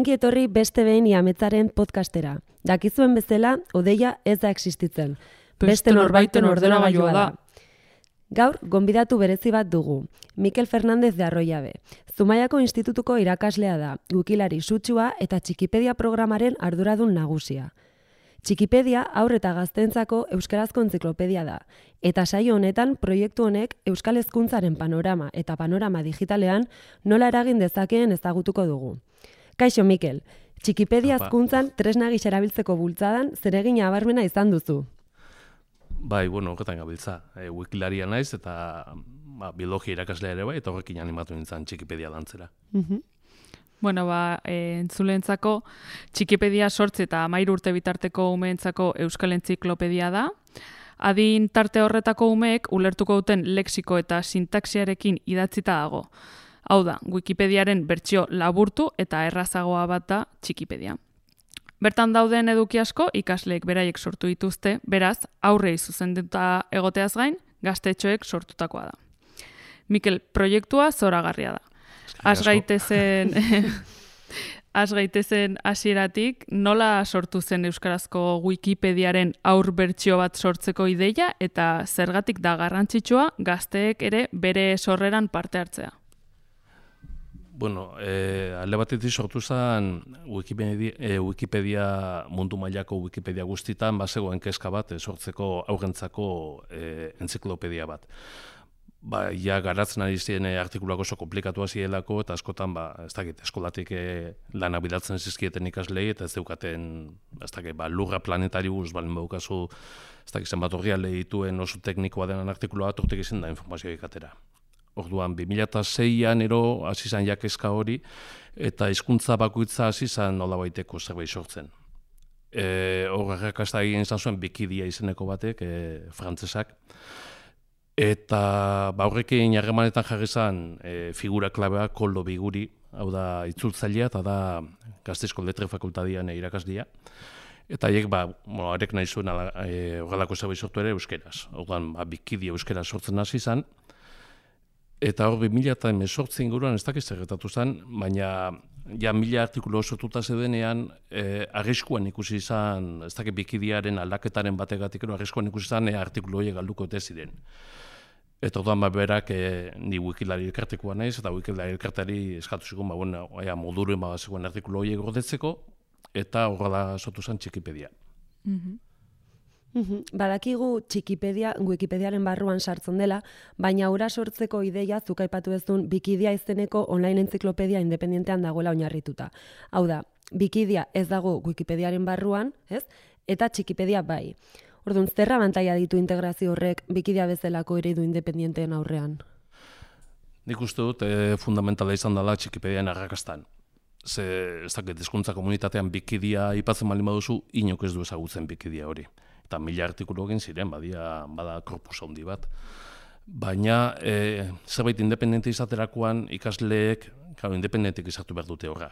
Ongi etorri beste behin Iametzaren podcastera. Dakizuen bezala, Odeia ez da existitzen. Beste norbaiten ordenagailua da. Gaur, gonbidatu berezi bat dugu. Mikel Fernández de Arroyabe. Zumaiako Institutuko irakaslea da, wikilari sutsua eta Txikipedia programaren arduradun nagusia. Txikipedia haur eta gazteentzako euskarazko entziklopedia da, eta saio honetan proiektu honek euskal hezkuntzaren panorama eta panorama digitalean nola eragin dezakeen ezagutuko dugu. Kaixo Mikel, Txikipedia hezkuntzan tresna gisa erabiltzeko bultzadan zeregin nabarmena izan duzu. Bai, horretan gabiltza. Wikilaria naiz eta biologia irakaslea ere bai, eta horrekin animatu nintzen Txikipedia lantzera. Entzuleentzako Txikipedia 8 eta 13 urte bitarteko umeentzako euskal entziklopedia da. Adin tarte horretako umeek ulertuko duten lexiko eta sintaxiarekin idatzita dago. Hau da, Wikipediaren bertsio laburtu eta errazagoa bat da Txikipedia. Bertan dauden eduki asko ikasleek beraiek sortu dituzte, beraz, aurrei zuzenduta egoteaz gain, gaztetxoek sortutakoa da. Mikel, proiektua zoragarria da. Has gaitezen hasieratik, nola sortu zen euskarazko Wikipediaren aur bertsio bat sortzeko ideia eta zergatik da garrantzitsua gazteek ere bere sorreran parte hartzea? Alde batetik sortu zen Wikipedia mundu mailako Wikipedia guztitan bazegoen kezka bat sortzeko aurrentzako entziklopedia bat. Garatzen ari ziren artikuluak oso komplikatua zielako eta askotan, eskolatik lana bidatzen zizkieten ikaslei eta ez zeukaten, lurra planetarius, balen baukazu, zenbat orrialde dituen oso teknikoa denan artikulua bat urtek izan da informazioa ikatera. Orduan, 2006an hasi zen jakezka hori eta hizkuntza bakoitza hasi zen nolabaiteko zerbait sortzen. Horrekasta egin izan zuen Wikidia izeneko batek, frantzesak. Eta horrekin harremanetan jarri zen figura klabea Koldo Biguri, hau da itzultzailea eta da Gasteizko Letre Fakultadian irakaslia. Eta haiek, arek nahi zuen horrelako zerbait sortu ere euskeraz. Orduan, Wikidia euskera sortzen hasi zen. Eta hor 2018 inguruan ez dakiz zerretatu zen, baina 1000 artikulu sortuta zedenean arriskuan ikusi izan, ez dakit Wikidiaren aldaketaren bategatik arriskuan ikusi izan artikulu horiek galduko ez ziren. Eta orduan berak ni wikilari elkartekoa naiz, eta wikilari elkartari eskatu zigun, moduren zegoen artikulu horiek gordetzeko, eta horrela sortu zen Txikipedia. Badakigu Txikipedia Wikipediaren barruan sartzen dela, baina hura sortzeko ideia zuk aipatu duzun Wikidia izeneko online entziklopedia independentean dagoela oinarrituta. Hau da, Wikidia ez dago Wikipediaren barruan, ez? Eta Txikipedia bai. Orduan, zer abantaila ditu integrazio horrek Wikidia bezalako eredu independenteen aurrean? Nik uste dut fundamentala izan dela Txikipedian arrakastan. Ez dakit hezkuntza komunitatean Wikidia aipatzen baldin baduzu, inok ez du ezagutzen Wikidia hori. Eta 1000 artikulu egin ziren, bada korpus handi bat. Baina, zerbait independente izaterakoan ikasleek, independentek izatu behar dute horra.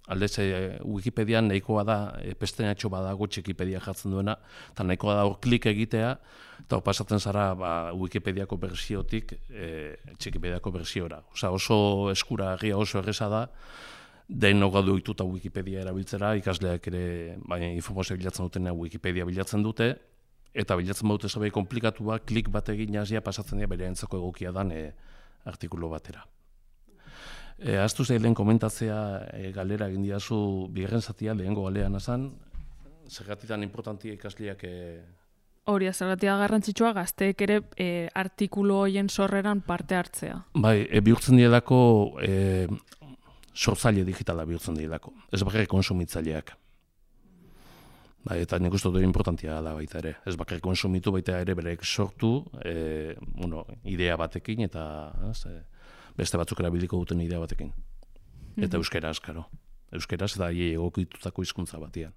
Aldez, Wikipedian nahikoa da, pestenatxo badago Txikipedia jartzen duena, eta nahikoa da hor klik egitea, eta hor pasatzen zara Wikipediako bersiotik Txikipediako bersiora. Oso eskuragarria, oso erreza da, denok gaudu dituta Wikipedia erabiltzera, ikasleak ere informazioa bilatzen dutena Wikipedia bilatzen dute, eta bilatzen badute zerbait komplikatua, klik bat egin jazia pasatzen dira bere entzako egokia dan artikulu batera. Aztu zeilen komentatzea galera egin diazu bigarren zatia, lehengo galean azan, zergatitan importantia ikasleak... Hori, zergatia garrantzitsua gazteek ere artikulu horien sorreran parte hartzea. Bai, bihurtzen dielako sortzaile digitala bihurtzen dielako, ez bakarrik konsumitzaileak. Eta nik uste dut importantia da baita ere, ez bakarrik konsumitu baita ere berek sortu, idea batekin eta beste batzuk erabiliko duten idea batekin. Eta euskeraz, karo. Euskeraz eta egokitutako hizkuntza batean.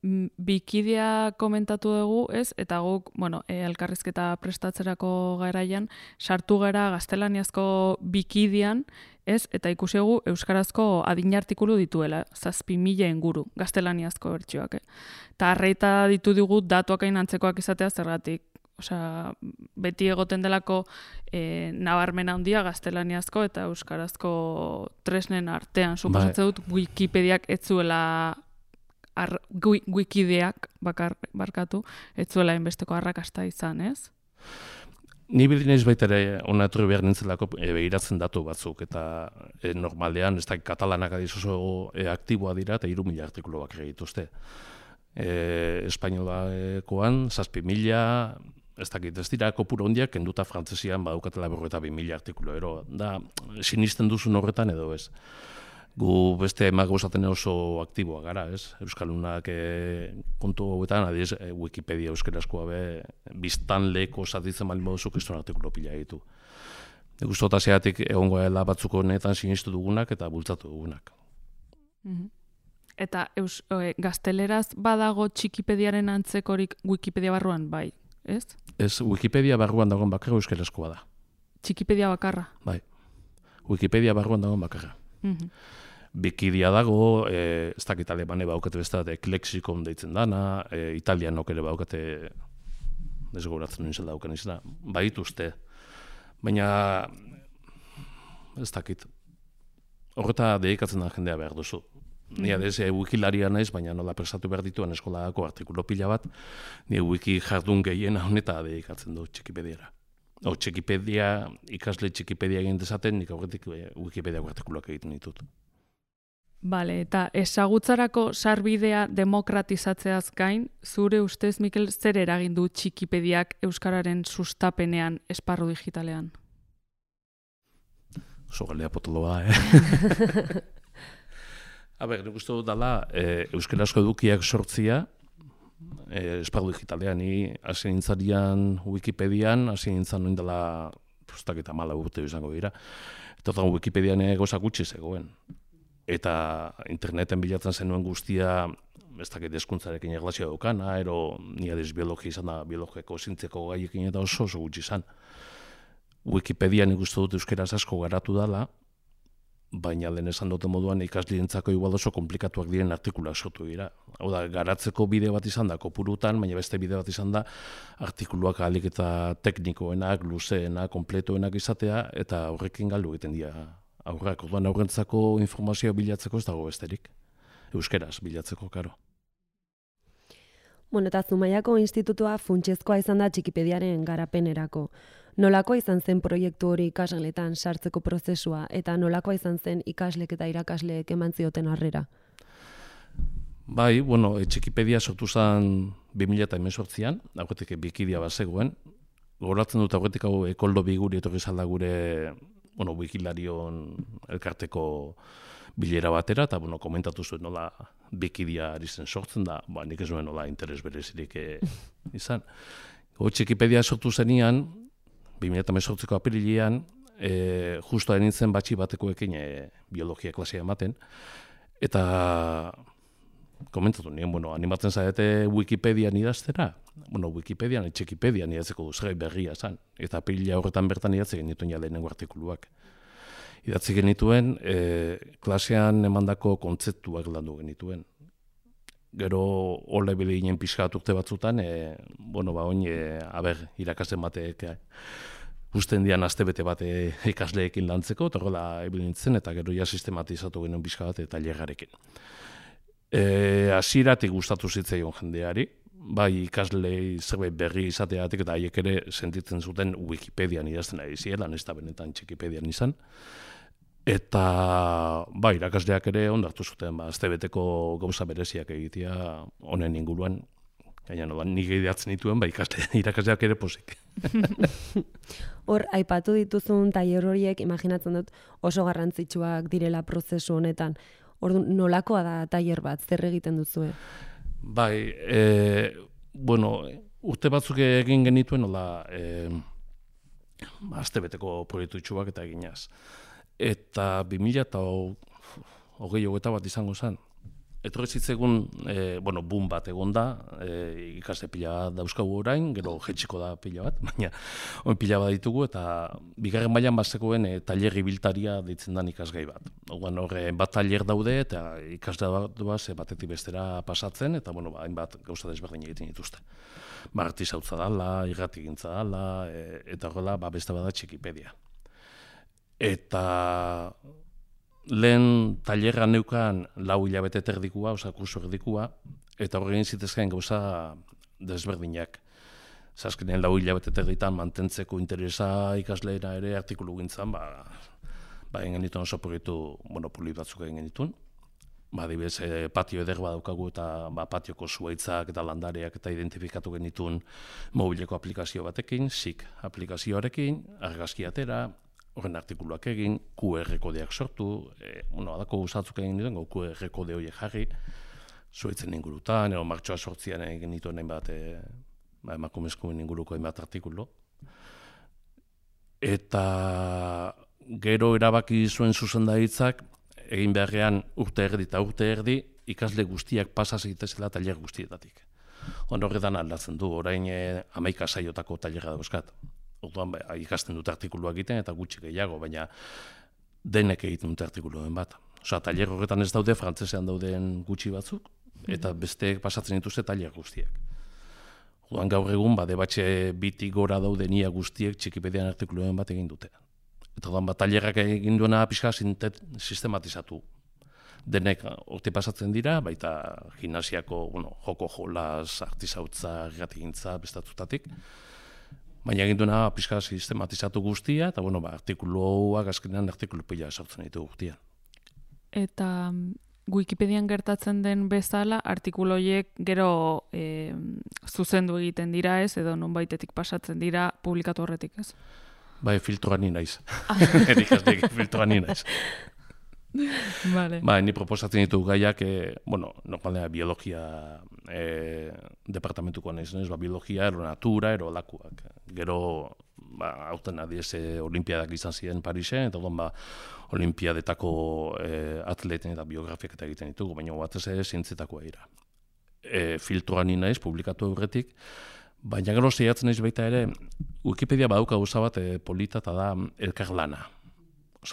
Wikidia komentatu dugu, ez? Eta guk, elkarrizketa prestatzerako garaian, sartu gara gaztelaniazko Wikidian, ez? Eta ikusi dugu euskarazko adin artikulu dituela, 7.000 inguru, gaztelaniazko bertsioak. Eta arreita ditu dugu datuak hain antzekoak izatea zergatik. Osea, beti egoten delako nabarmena handia gaztelaniazko eta euskarazko tresnen artean. Suposatzen dut Wikipediak ez zuela Wikideak barkatu, ez zuela inbesteko arrakasta izan, ez? Ni bildinez baita ere hona etorri behar nintzelako behiratzen datu batzuk, eta normalean, ez da katalanak adiz oso aktiboa dira, eta 3.000 artikulu bakar egituzte. Espainolakoan, 7.000, ez dakit, ez dira kopuru hondiak, kenduta frantzesian badukatela 42.000 artikulu, ero, da, sinisten duzun horretan edo ez. Gu beste emagozaten oso aktiboa gara, ez? Euskalunak kontu hauetan, adiz, Wikipedia euskarazkoa biztan leko zatitzen bali moduzu kriston artikulo pila ditu. Guztota zeatik egongo dela batzuk honetan sinistu dugunak eta bultzatu dugunak. Eta gazteleraz badago Txikipediaren antzekorik Wikipedia barruan, bai, ez? Ez, Wikipedia barruan dagoen bakarra euskarazkoa da. Txikipedia bakarra? Bai. Wikipedia barruan dagoen bakarra. Wikidia dago, ez dakit alemane baukate beste bat, Lexikon deitzen dana, italianok ere baukate, desgoratzen nintzen dauken izena, baituzte. Baina, ez dakit, horreta dedikatzen da jendea behar duzu. Ni adez wikilaria naiz, baina nola prestatu behar dituen eskolako artikulo pila bat, ni wiki jardun gehiena honeta dedikatzen du Txikipediara. Txikipedia, ikasle Txikipedia egin dezaten, nik aurretik Wikipediako artikuluak egiten ditut. Bale, eta ezagutzarako sarbidea demokratizatzeaz gain, zure ustez, Mikel, zer eragin du Txikipediak euskararen sustapenean esparru digitalean? Oso galdea potoloa, nik uste dut dela, euskarazko edukiak sortzia, esparru digitalean, ni hasi nintzarian Wikipedian, hasi nintzan noin dela, postak eta 14 urte izango dira, eta Wikipedian gozak gutxi zegoen. Eta interneten bilatzen zenuen guztia, ez dakit hezkuntzarekin erlazioa daukana, ero ni adiz biologia izan da, biologiako zintzeko gaiekin eta oso gutxi izan. Wikipedia nik uste dut euskeraz asko garatu dela, baina lehen esan duten moduan ikaslientzako igual oso komplikatuak diren artikulak sortu dira. Hau da, garatzeko bide bat izan da kopurutan, baina beste bide bat izan da artikuluak ahalik eta teknikoenak, luzeenak, kompletoenak izatea, eta horrekin galdu egiten dira aurrak. Orduan aurrentzako informazioa bilatzeko ez dago besterik. Euskeraz bilatzeko, karo. Bueno, eta Zumaiako institutua funtsezkoa izan da Txikipediaren garapenerako. Nolakoa izan zen proiektu hori ikasgeletan sartzeko prozesua eta nolakoa izan zen ikaslek eta irakasleek eman zioten harrera? Bai, Txikipedia sortu zen 2018an, aurretik Wikidia bazegoen. Goratzen dut aurretik hau Koldo Biguri etorri zalda gure Wikilarion elkarteko bilera batera, eta komentatu zuen nola Wikidia ari zen sortzen da, nik ez nuen nola interes berezirik izan. Txikipedia sortu zenian, 2018ko apirilean, justo da nintzen batxi batekoekin biologia klasea ematen, eta komentatu nien, animatzen zaite Wikipedian idaztera, Wikipedian, Txikipedian idatzeko duzgai berria zan, eta apirila horretan bertan idatze genituen lehenengo artikuluak. Idatzi genituen, klasean emandako kontzeptuak landu genituen. Gero hola ebile ginen pixkat urte batzutan, oin, irakasten batek usten dian astebete bat ikasleekin lantzeko, eta horrela ebile nintzen, eta gero ja sistematizatu genuen pixka bat eta tailerrarekin. Hasieratik gustatu zitzaion jendeari, bai ikaslei zerbait berri izateatik eta haiek ere sentitzen zuten Wikipedian idazten ari ziela, ez da benetan Txikipedian izan. Eta irakasleak ere ondartu zuten, astebeteko gauza bereziak egitea honen inguruan, gaina nik idatzen dituen, irakasleak ere pozik. Hor, aipatu dituzun tailer horiek, imaginatzen dut oso garrantzitsuak direla prozesu honetan. Ordu, nolakoa da tailer bat, zer egiten duzue? Bai, urte batzuk egin genituen, astebeteko proiektutxuak eta eginaz. Eta 2020 bat izango zen, etorri zitzegun, boom bat egon da, ikasle pila dauzkagu orain, gero jetxiko da pila bat, baina pila bat ditugu, eta bigarren mailan bazekoen tailer ibiltaria deitzen den ikasgai bat. Horre bat tailer daude, eta ikasle batetik bestera pasatzen, eta hainbat gauza desberdin egiten dituzte. Artisautza dala, irratigintza dala, eta horrela beste bada Txikipedia. Eta lehen tailerra neukan 4 hilabete erdikua, kurso erdikua, eta horrein zitezkean gauza desberdinak. Azkenean 4 hilabete erditan mantentzeko interesa ikasleena ere artikulu gintzen, egin genituen oso proiektu monopoli batzuk egin genituen. Adibidez, patio eder badaukagu eta patioko zuhaitzak eta landareak eta identifikatu genituen mobileko aplikazio batekin, SIC aplikazioarekin, argazki atera, horren artikuluak egin, QR kodeak sortu, adako guzatzuk egin dituen, QR kode horiek jarri, zuhaitzen ingurutan, martxoa sortzian egin dituen hainbat emakumezkoen inguruko hainbat artikulu. Eta gero erabaki zuen zuzendaritzak, egin beharrean urte erdi, ikasle guztiak pasa zitezela tailer guztietatik. Horretan aldatzen du, orain 11 saiotako tailerra dauzkat. Orduan ikasten dute artikuluak egiten eta gutxi gehiago, baina denek egiten dute artikuluen bat. Tailer horretan ez daude, frantzesean dauden gutxi batzuk, eta besteek pasatzen dituzte tailer guztiak. Orduan gaur egun, debatxe bitik gora dauden ia guztiek Txikipedian artikuluen bat egin dute. Eta orduan tailerrak egin duena pixka sistematizatu. Denek horte pasatzen dira, baita gimnasiako joko jolas, artisautza, irratigintza, bestatutatik. Baina egin duena pixka sistematizatu guztia, eta artikuluak azkenean artikulu pila sortzen ditu guztia. Eta Wikipedian gertatzen den bezala, artikulu horiek gero zuzendu egiten dira ez, edo nonbaitetik pasatzen dira publikatu horretik ez? Filtroan ni naiz. Erikastek filtroan ni naiz. Vale. Ni proposatzen ditu gaiak, normalena biologia departamentuko naiz, biologia, aeronatura, aerolakuak. Gero, hauten adiez olimpiadak izan ziren Parisen, eta olimpiadetako atleten eta biografiak eta egiten ditugu, baina batez ere zientzetakoa dira. Filtroan ni naiz, publikatu aurretik, baina gero zeiatzen naiz baita ere, Wikipedia badauka gauza bat polita eta da elkarlana.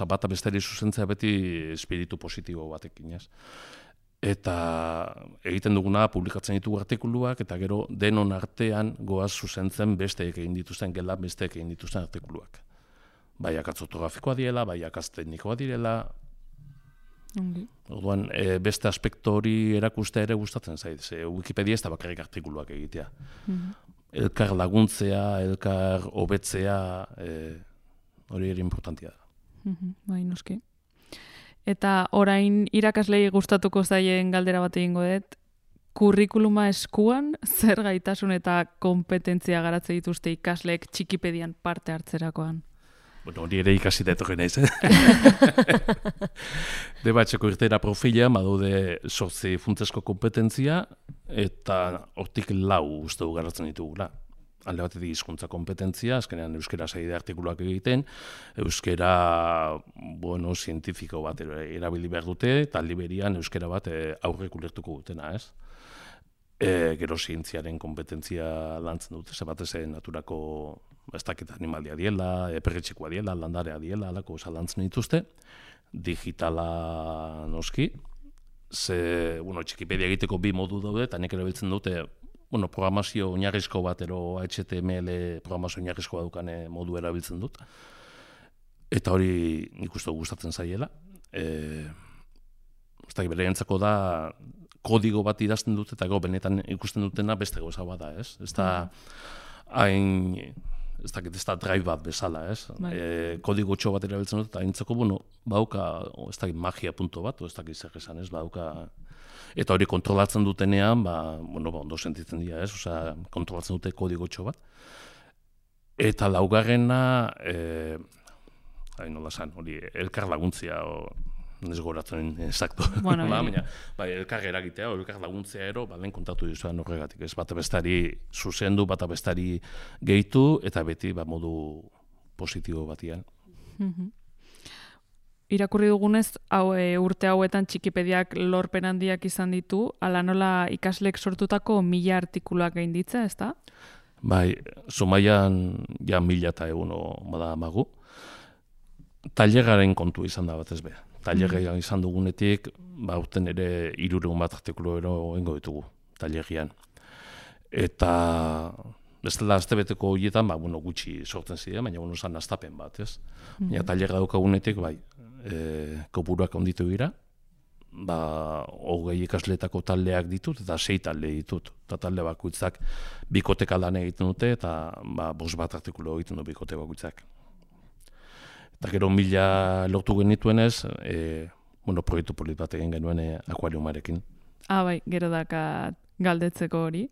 Bata bestari zuzentzea beti espiritu positibo batekin, ez? Eta egiten duguna publikatzen ditugu artikuluak, eta gero denon artean goaz zuzentzen besteek egin dituzten, gelan besteek egin dituzten artikuluak. Bai akatz ortografikoa direla, bai akatz teknikoa direla. Orduan, beste aspektu hori erakustea ere gustatzen zait. Wikipedia ez da bakarrik artikuluak egitea. Elkar laguntzea, elkar hobetzea, hori ere importantia da. Bai, noski. Eta orain irakaslei gustatuko zaien galdera bat egingo dut, kurrikuluma eskuan, zer gaitasun eta kompetentzia garatze dituzte ikasleek Txikipedian parte hartzerakoan? Hori ere ikasi da etorri naiz, Debatxeko irtera profila, badaude 8 funtsezko kompetentzia, eta hortik 4 uste du garatzen ditugula. Alde batetik hizkuntza kompetentzia, azkenean euskera saide artikuluak egiten, euskera, zientifiko bat erabili behar dute, eta aldi berian euskera bat aurrek ulertuko dutena, ez? Gero zientziaren kompetentzia lantzen dute, batez naturako ez dakit animalia diela, perretxekoa diela, landarea diela, alako lantzen dituzte, digitala noski, Txikipedia egiteko 2 modu daude, eta nek erabiltzen dute, programazio oinarrizko bat, HTML programazio oinarrizkoa dukan modu erabiltzen dut. Eta hori nik uste gustatzen zaiela. Bereientzako da, kodigo bat idazten dut, eta benetan ikusten dutena beste gauza bat da, ez? Ez da, ez da drive bat bezala, ez? Kodigo txo bat erabiltzen dut, eta haintzako, bauka, ez da magia punto bat, ez da zer esan, ez? Bauka, eta hori kontrolatzen dutenean, ondo sentitzen dira, ez? Osea, kontrolatzen dute kodigo txo bat. Eta laugarrena, nola esan, hori elkar laguntzia, ez goratzen exacto. Elkar eragitea, elkar laguntzea ero, lehen kontatu dizuan horregatik, ez? Bata bestari zuzendu, bata bestari gehitu, eta beti modu positibo batian. irakurri dugunez, urte hauetan Txikipediak lorpen handiak izan ditu, ala nola ikaslek sortutako 1000 artikuluak gainditza, ezta? Bai, Zumaian ja 1100 bada amagu. Taileraren kontu izan da batez be. Tailerra izan dugunetik, urten ere 300 bat artikulu egingo ditugu tailerrian. Eta bestela astebeteko horietan, gutxi sortzen ziren, baina zan astapen bat, ez? Baina tailerra daukagunetik, kopuruak onditu dira, 20 ikasleetako taldeak ditut, eta 6 talde ditut. Eta talde bakoitzak bikoteka lan egiten dute, eta 5 bat artikulu egiten du bikote bakoitzak. Eta gero 1000 lortu genituenez, proiektu polit bat egin genuen akuariumarekin. Bai, gero daka galdetzeko hori.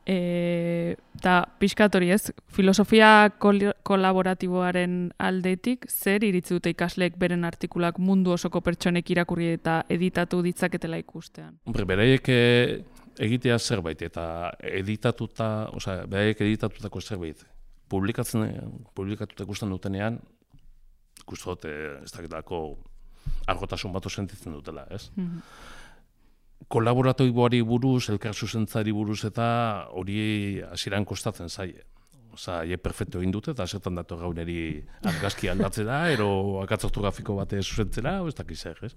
Eta pixkat hori ez, filosofia kolaboratiboaren aldetik, zer iritzi dute ikasleek beren artikulak mundu osoko pertsonek irakurri eta editatu ditzaketela ikustean? Beraiek egitea zerbait, eta beraiek editatutako zerbait, publikatuta ikusten dutenean, ikusten dute ez dakitako argotasun bat sentitzen dutela, ez? Kolaboratiboari buruz, elkar zuzentzari buruz eta hori hasieran kostatzen zaie. Perfektu egin dute eta zertan dator gauneri argazki aldatzera, ero akatz ortografiko bate zuzentzera, ez dakiz zer, ez?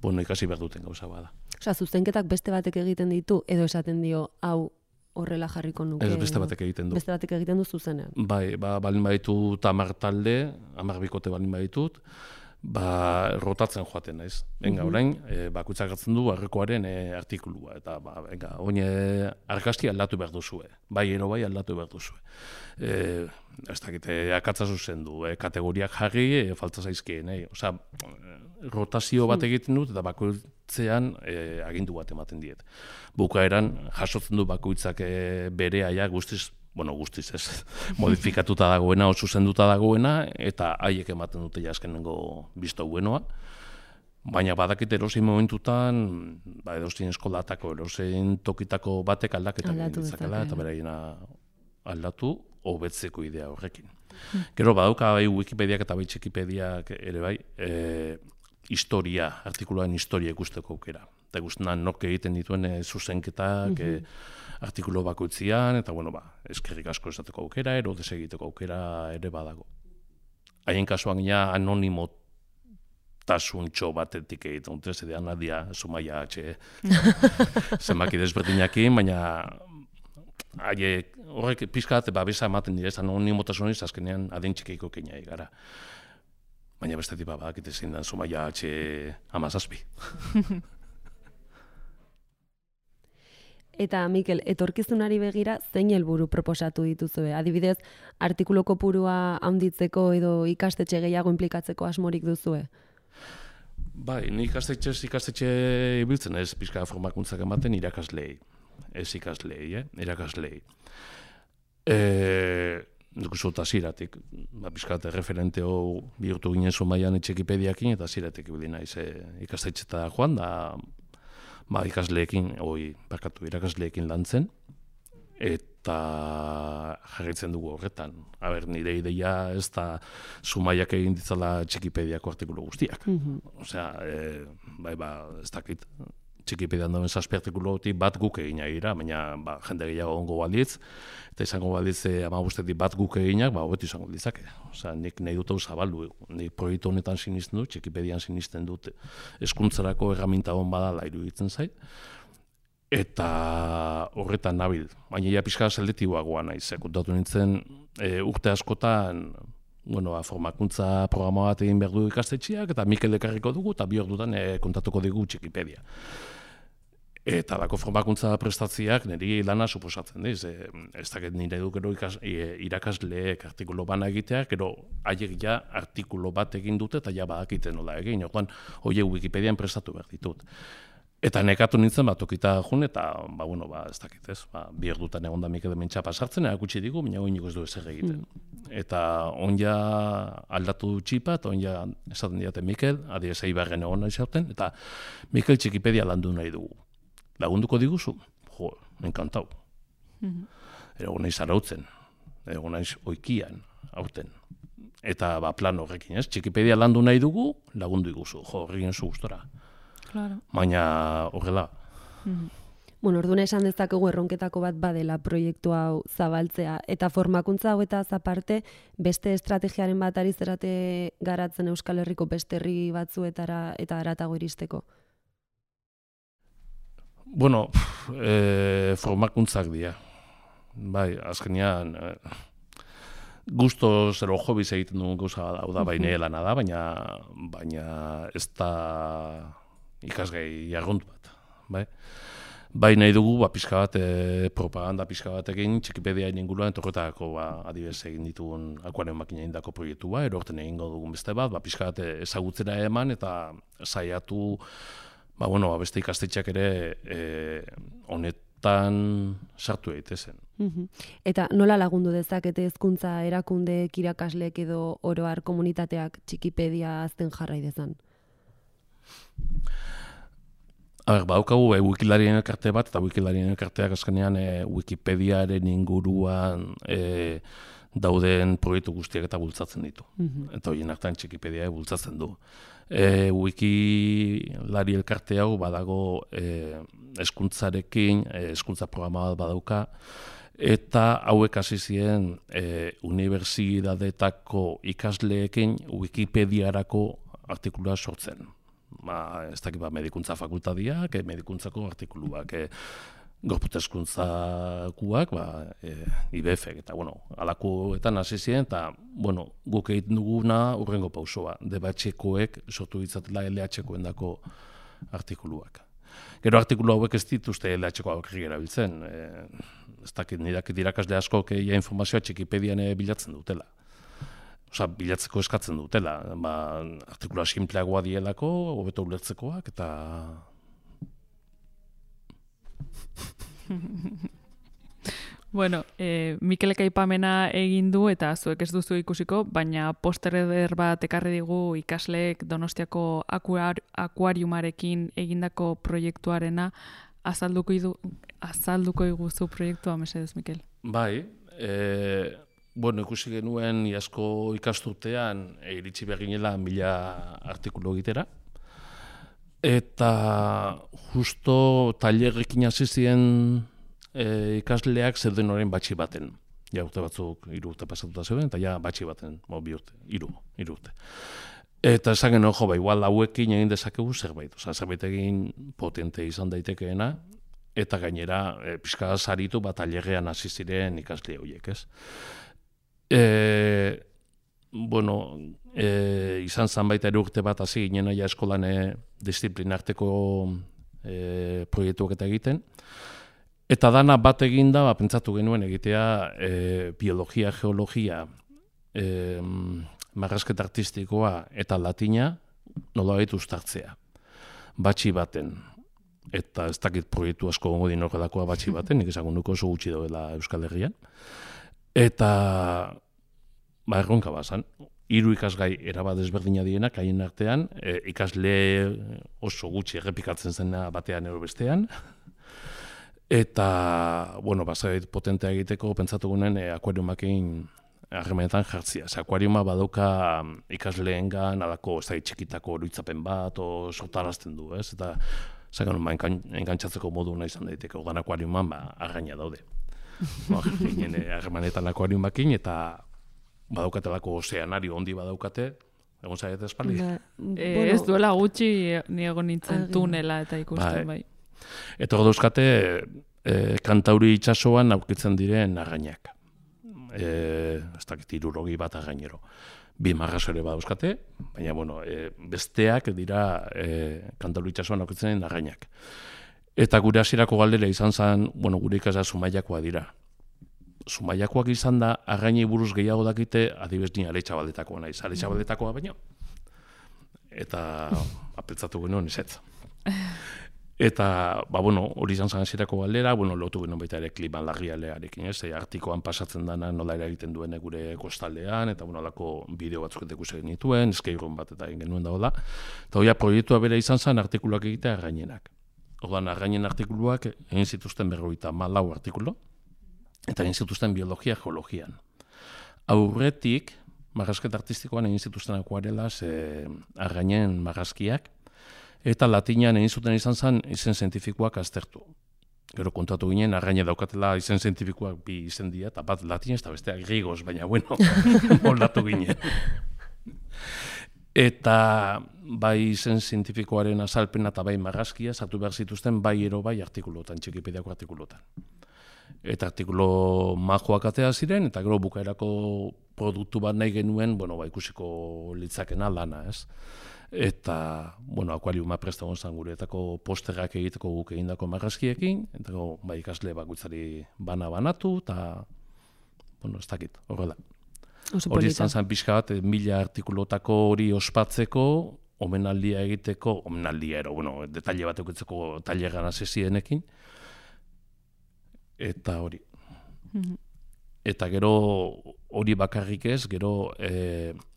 Ikasi behar duten gauza bada. Zuzenketak beste batek egiten ditu, edo esaten dio, hau horrela jarriko nuke. Ez beste batek egiten du. Beste batek egiten du zuzenean. Bai, balin baditut 10 talde, 10 bikote balin baditut, rotatzen joaten naiz. Orain, bakoitzak hartzen du arrekoaren artikulua, eta oin argazki aldatu behar duzue. Bai aldatu behar duzue. Ez dakite, akatza zuzendu, kategoriak jarri, falta zaizkien. Rotazio bat egiten dut, eta bakoitzean agindu bat ematen diet. Bukaeran, jasotzen du bakoitzak bere aia guztiz ez, modifikatuta dagoena, zuzenduta dagoena, eta haiek ematen dute jaskenengo bizto buenoa. Baina badakit erosin momentutan, edozein eskolatako, edozein tokitako batek aldaketa ditzakela, eta beraiena aldatu, hobetzeko idea horrekin. Gero badauka Wikipediak eta Txikipediak ere bai, artikuluaren historia ikusteko aukera. Eta ikusten nork egiten dituen zuzenketak, artikulu bakoitzian, eta eskerrik asko esateko aukera, ero desegiteko aukera ere badago. Haien kasuan gina anonimotasuntxo batetik egiten dute, zedean Nadia Zumaia zenbaki desberdinakin, baina horrek pizkat babesa ematen dira, anonimotasuniz azkenean adin txikiko keinai gara. Baina bestetik badakite zein da Zumaia 17. Eta, Mikel, etorkizunari begira zein helburu proposatu dituzue? Adibidez, artikulu kopurua handitzeko edo ikastetxe gehiago inplikatzeko asmorik duzue? Bai, ni ikastetxe ibiltzen ez pixka formakuntzak ematen irakaslei. Ez ikaslei, irakaslei. Dukuzu eta ziratik, pixka referenteo bihurtu ginen Zumaian Txikipediakin, eta ziratik ibili naiz ikastetxeta joan, da irakasleekin lantzen, eta jarraitzen dugu horretan. Nire ideia ez da Zumaiak egin ditzala Txikipediako artikulu guztiak. Ez dakit, Txikipedian dauen 7 artikuluotik bat guk egina gira, baina jende gehiago ongo balitz, eta izango balitz 15 bat guk eginak, hobetu izango ditzake. Nik nahi dut hau zabaldu, nik proiektu honetan sinisten dut, Txikipedian sinisten dut, hezkuntzarako erraminta hon badala iruditzen zait, eta horretan nabil. Baina pixka seldetiboagoa naiz, kontatu nintzen urte askotan, formakuntza programa bat egin behar du ikastetxeak, eta Mikel ekarriko dugu, eta bi ordutan kontatuko digu Txikipedia. Eta lako formakuntza prestatziak niri lana suposatzen, ez dakit nire du gero irakasleek artikulo bana egiteak, gero haiek ja artikulo bat egin dute, eta ja badakiten nola egin, orduan horiek Wikipedian prestatu behar ditut. Eta nekatu nintzen tokita jun, eta ez dakit ez, bi ordutan egon da Mikel hementsa pasartzen, erakutsi digu, baina oiniko ez du ezer egiten. Eta onja aldatu txipa, eta onja esaten diate Mikel, adibidez Eibarren egon nahi zauten, eta Mikel Txikipedia landu nahi dugu. Lagunduko diguzu? Enkantau. Egon nahi zarautzen, egon nahi oikian, aurten. Eta plan horrekin, ez? Txikipedia landu nahi dugu, lagundu iguzu, horrekin zu gustora. Claro. Baina horrela. Bueno, orduan esan dezakegu erronketako bat badela proiektu hau zabaltzea. Eta formakuntza hauetaz aparte, beste estrategiaren bat ari zerate garatzen Euskal Herriko beste herri batzuetara eta haratago iristeko? Bueno, formakuntzak dira. Bai, azkenean, gusto zero hobiz egiten dugun gauza da, baina lana da, baina ez da ikasgai jargontu bat. Bai nahi dugu, pixka bat, propaganda pixka batekin, Txikipediaen inguruan, torretako adibidez egin ditugun akuaren makina indako proiektu erorten egingo dugun beste bat, pixka bat ezagutzera eman eta saiatu, beste ikastetxeak ere honetan sartu daitezen. Eta nola lagundu dezakete hezkuntza erakundeek, irakasleek edo oro har komunitateak Txikipedia azten jarrai dezan? Badaukagu Wikilarien elkarte bat, eta Wikilarien elkarteak azkenean Wikipediaren inguruan dauden proiektu guztiak eta bultzatzen ditu. Eta horien artean Txikipedia bultzatzen du. Wikilari elkarte hau badago hezkuntzarekin, hezkuntza programa bat badauka, eta hauek hasi ziren unibertsitateko ikasleekin Wikipediarako artikulua sortzen. Ez dakit medikuntza fakultadiak, medikuntzako artikuluak, gorputezkuntzakuak, IBF-ek, eta alakoetan hasi ziren, eta guk egiten duguna urrengo pausoa, DBH-koek sortu ditzatela LH-koen dako artikuluak. Gero artikulu hauek ez dituzte LH-ko aurrik erabiltzen, ez dakit nirakit irakasle askok informazioa Txikipedian bilatzen dutela. Bilatzeko eskatzen dutela, artikula sinpleagoa dielako, hobeto ulertzekoak, eta... Bueno, Mikelek aipamena egin du eta zuek ez duzu ikusiko, baina poster eder bat ekarri digu ikasleek Donostiako akuariumarekin egindako proiektuarena. Azalduko iguzu proiektua, mesedez, Mikel? Bai, ikusi genuen iazko ikasturtean iritsi behar ginela 1000 artikulu egitera. Eta justo tailerrekin hasi ziren ikasleak zeuden orain batxi baten. Ja, urte batzuk 3 urte pasatuta zeuden, eta ja batxi baten, 2 urte, 3 urte. Eta esan genuen, igual hauekin egin dezakegu zerbait. Zerbait egin potente izan daitekeena, eta gainera pixka saritu tailerrean hasi ziren ikasle horiek, ez? Izan zan baita 3 urte bat hasi ginen aia eskolan disiplinarteko proiektuak eta egiten. Eta dana bat eginda, pentsatu genuen egitea biologia, geologia, marrazketa artistikoa eta latina nolabait uztartzea. Batxi baten. Eta ez dakit proiektu asko gongo din horrelakoa batxi baten, nik esagun nuko oso gutxi doela Euskal Herrian. Eta erronka bazan, 3 ikasgai erabat ezberdina dienak, haien artean, ikasle oso gutxi errepikatzen zena batean ero bestean. Eta, bazait potentea egiteko, pentsatu gunen akuariumakin harremanetan jartzia. Akuariuma badauka ikasleengan, alako ez da txikitako oroitzapen bat, sortarazten du, ez? Eta, engantzatzeko modu nahi izan daiteke, ogan akuariuman, arraina daude. Ginen harremanetan akuariumakin, eta badaukatelako ozeanario ondi badaukate, egon zaiet espaldi? Ez duela gutxi ni egon nintzen tunela eta ikusten, bai. Eta hor dauzkate, Kantauri itsasoan aurkitzen diren arrainak. Ez dakit 60 bat arrainero. 2 marrazo ere badauzkate, baina, besteak dira Kantauri itsasoan aurkitzen diren arrainak. Eta gure hasierako galdera izan zen, gure ikasla Zumaiakoa dira. Zumaiakoak izan da, arrainei buruz gehiago dakite, adibez ni Aletxabaldetakoa naiz. Aletxabaldetakoa baino. Eta apeltzatu genuen ezetz. Eta, hori izan zen hasierako galdera, lotu genuen baita ere klima larrialearekin, ez? Artikoan pasatzen dena nola eragiten duen gure kostaldean, eta alako bideo batzuk ikusi genituen, eskeirun bat eta egin genuen dagoela. Eta hoia proiektua bera izan zen artikuluak egitea arrainenak. Orduan, arrainen artikuluak egin zituzten 54 artikulu, eta egin zituzten biologia geologian. Aurretik, marrazketa artistikoan egin zituzten akuarelaz argainen marrazkiak, eta latinan egin zuten izan zen izen zientifikoak aztertu. Gero kontatu ginen, argaine daukatela izen zientifikoak bi izen dira, eta bat latinez eta besteak grigoz, baina bueno, moldatu ginen. Eta bai izen zientifikoaren azalpena eta bai marrazkia sartu behar zituzten bai ero bai artikulotan, Txikipediako artikulotan. Eta artikulo majoak atea ziren, eta gero bukaerako produktu bat nahi genuen, ikusiko litzakena lana, ez? Eta, akuariuma presta gonzan gureetako posterrak egiteko guk egindako marrazkiekin, eta ikasle bakoitzari banatu, eta, ez dakit, horrela. Hori izan zen pixka bat, 1000 artikulotako hori ospatzeko, omenaldia egiteko, detalle bat eukitzeko taileran asesienekin, eta hori. Eta gero hori bakarrik ez, gero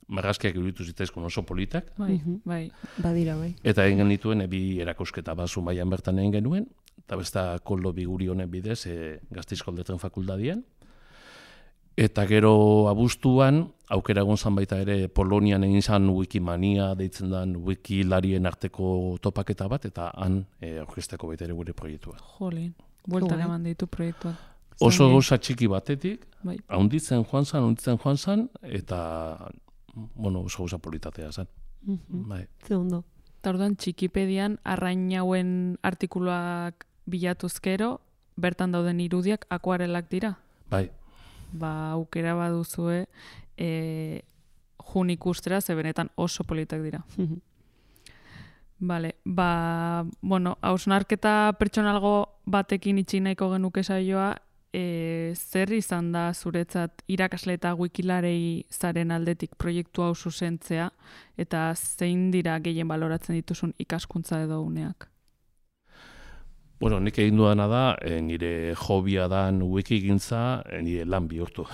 marrazkiak iruditu zitzaizkun oso politak. Bai. Badira, bai. Eta egin genituen bi erakusketa bat Zumaian bertan egin genuen, eta besta Koldo Biguri honen bidez Gasteizko Letren Fakultadian. Eta gero abuztuan, aukera egon zan baita ere Polonian egin zan Wikimania deitzen den wikilarien arteko topaketa bat, eta han aurkezteko baita ere gure proiektua. Jolin, bueltan eman ditu proiektuak. Oso gauza txiki batetik, haunditzen joan zan, eta oso gauza politatea zen. Ze ondo. Eta orduan Txikipedian arrainauen artikuluak bilatuzkero, bertan dauden irudiak akuarelak dira? Bai. Aukera baduzue jun ikustera, ze benetan oso politak dira. Vale, hausnarketa pertsonalgo batekin itxi nahiko genuke saioa, zer izan da zuretzat irakasle eta wikilarei zaren aldetik proiektu hau zuzentzea, eta zein dira gehien baloratzen dituzun ikaskuntza edo uneak? Nik egin dudana da, nire hobia dan wikigintza, nire lan bihurtu.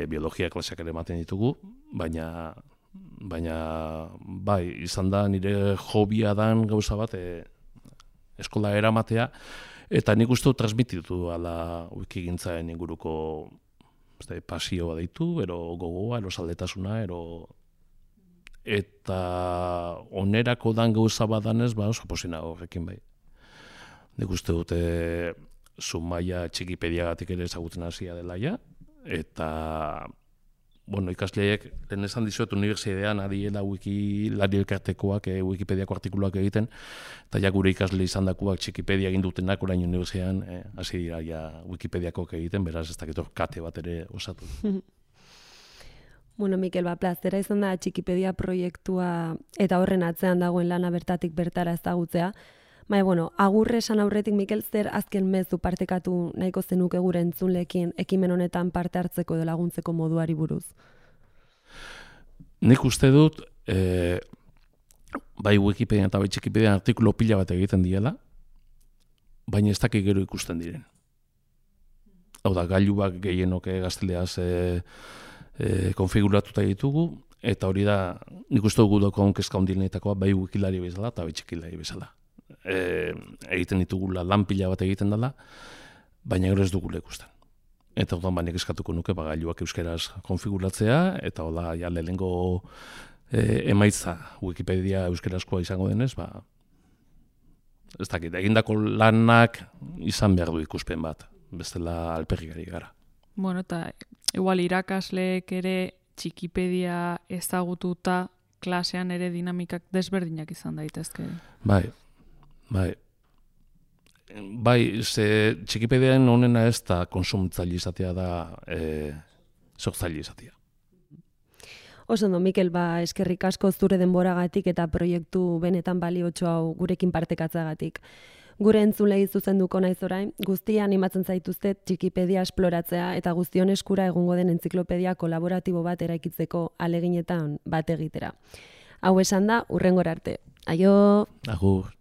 Biologia klaseak ere ematen ditugu, baina izan da nire hobia dan gauza bat eskola eramatea, eta nik uste transmititu ala wikigintzaren inguruko pasioa deitu, ero gogoa, ero saldetasuna, eta onerako dan gauza badanez, oso posina horrekin bai. Nik uste dute Zumaia Txikipediagatik ere ezagutzen hasia dela ja, eta ikasleek, lehen esan dizuet unibertsitatean adiela wikilari elkartekoak, Wikipediako artikuluak egiten, eta gure ikasle izan dakuak Txikipedia egin dutenak orain unibertsitatean hasi dira Wikipediakoak egiten, beraz ez dakit kate bat ere osatu. Mikel, plazera izan da Txikipedia proiektua eta horren atzean dagoen lana bertatik bertara ezagutzea. Agurre esan aurretik, Mikel, zer azken mezu partekatu nahiko zenuke gure entzunleekin ekimen honetan parte hartzeko edo laguntzeko moduari buruz? Nik uste dut, bai Wikipedia eta bai Txikipedia artikulo pila bat egiten diela, baina ez dakik gero ikusten diren. Hau da, gailuak gehienok gazteleaz konfiguratuta ditugu, eta hori da, nik uste dugu dagoen kezka ondilenetakoa bai wikilari bezala eta bai txikilari bezala. Egiten ditugula lan pila bat egiten dela, baina gero ez dugula ikusten. Eta orduan baina eskatuko nuke gailuak euskeraz konfiguratzea, eta hola lehenengo emaitza Wikipedia euskerazkoa izango denez, ez dakit, egindako lanak izan behar du ikuspen bat, bestela alperrikari gara. Eta igual irakasleek ere Txikipedia ezagututa klasean ere dinamikak desberdinak izan daitezke. Bai, ze Txikipedian honena ez da konsumitzaile izatea da sortzaile izatea. Oso ondo, Mikel, eskerrik asko zure denboragatik eta proiektu benetan baliotxo hau gurekin partekatzagatik. Gure entzulei zuzenduko naiz orain, guztia animatzen zaituztet Txikipedia esploratzea eta guztion eskura egongo den entziklopedia kolaboratibo bat eraikitzeko aleginetan bat egitera. Hau esan da, hurrengora arte. Aio! Agur!